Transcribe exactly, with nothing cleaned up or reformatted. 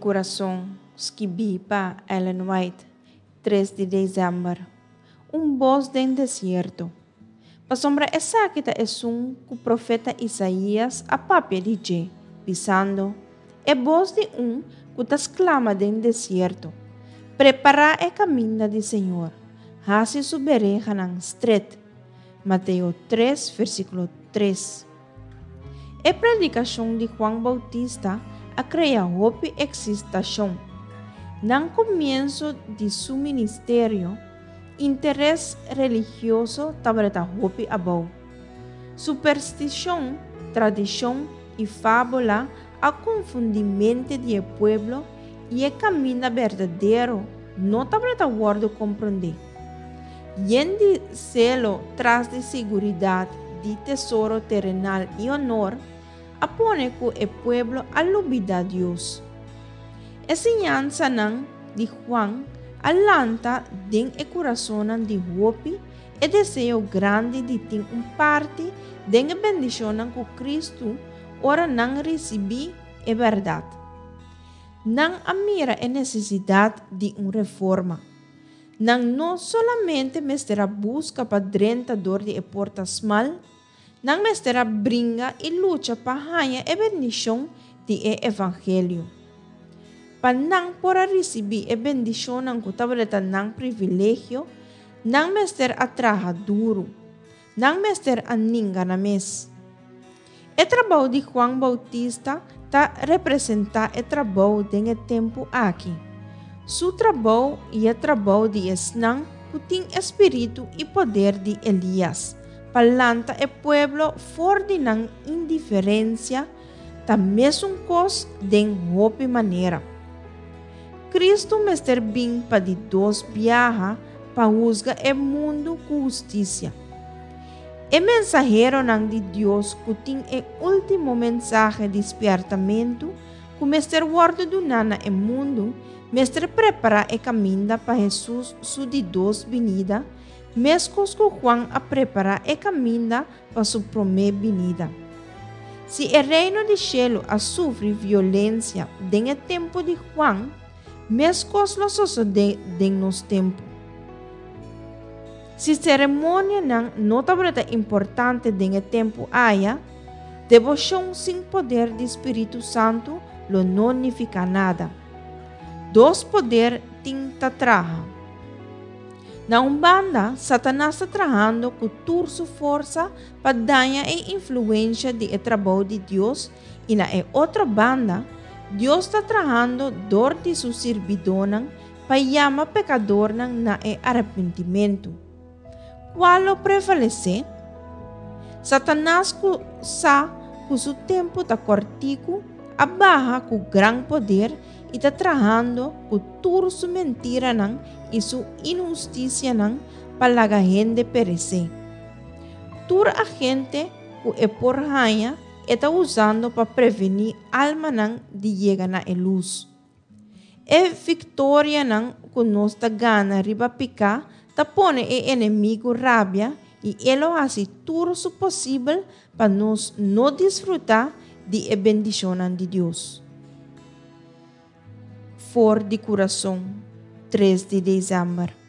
Kurason, skibí pa Ellen White, tres di desèmber. Un bos den desierto. Pasobra esaki ta esun ku profeta Isaías a papia di dje, bisando: E bos di un ku ta sklama den desierto: Prepará e kaminda di Señor, hasi su berehanan stret. Mateo tres, versíkulo tres. E predikashon di Juan Bautista a krea hopi eksitashon. Na komienso di su ministerio, interes religioso tabata hopi abou. Superstishon, tradishon i fábula a konfundí mente di pueblo i e kaminda berdadero no tabata wòrdu komprondé. Yen di selo tras di seguridat di tesoro terenal i honor, a pone ku e pueblo a lubidá Dios. E siñansanan di Juan a lanta den e kurasonnan di hopi e deseo grandi di tin un parti den e bendishonnan ku Kristu ora nan risibí e bèrdat. Nan a mira e nesesidat di un reforma. Nan no solamente mester a buska pa drenta dor di e porta smal, nan mester a bringa i lucha pa haña e bendishon di e evangelio. Pa nan por a risibí e bendishonnan ku tabata nan privilegio, nan mester a traha duru. Nan mester a ninga nan mes. E trabou di Juan Bautista ta representá e trabou den e tempu aki. Su trabou i e trabou di esnan ku tin spiritu i poder di Elias, pa lanta e pueblo for di nan indiferensia, ta mesun kos den hopi manera. Kristu mester bin pa di dos biaha pa husga e mundu ku hustisia. E mensaheronan di Dios ku tin e último mensahe di spièrtamentu ku mester wòrdu duná na e mundu, mester prepará e kaminda pa Hesus su di dos binida, meskos ku Juan a prepará e kaminda pa su promé binida. Si e reino di shelu a sufri violensia den e tempu di Juan, meskos lo sosodé den nos tempu. Si seremonianan no tabata importante den e tempu aya, deboshon sin poder di Spiritu Santu lo no nifiká nada. Dos poder tin ta traha. Na un banda, Satanas ta trahando ku tur su forsa pa daña e influensia di e trabou di Dios i na e otro banda, Dios ta trahando dor di su sirbidónan pa yama pekadornan na e arepentimentu. Kua lo prevalesé? Satanas ku sa ku su tempu ta kòrtiku a baha ku gran poder i ta trahando ku tur su mentiranan i su inhustisianan pa laga hende peresé. Tur agente ku e por haña e ta usando pa prevení almanan di yega na e lus. E viktorianan ku nos ta gana riba piká ta pone e enemigu rabia i e lo hasi tur su posibel pa nos no disfrutá di e bendishonnan di Dios. For di Kurason, tres di desèmber.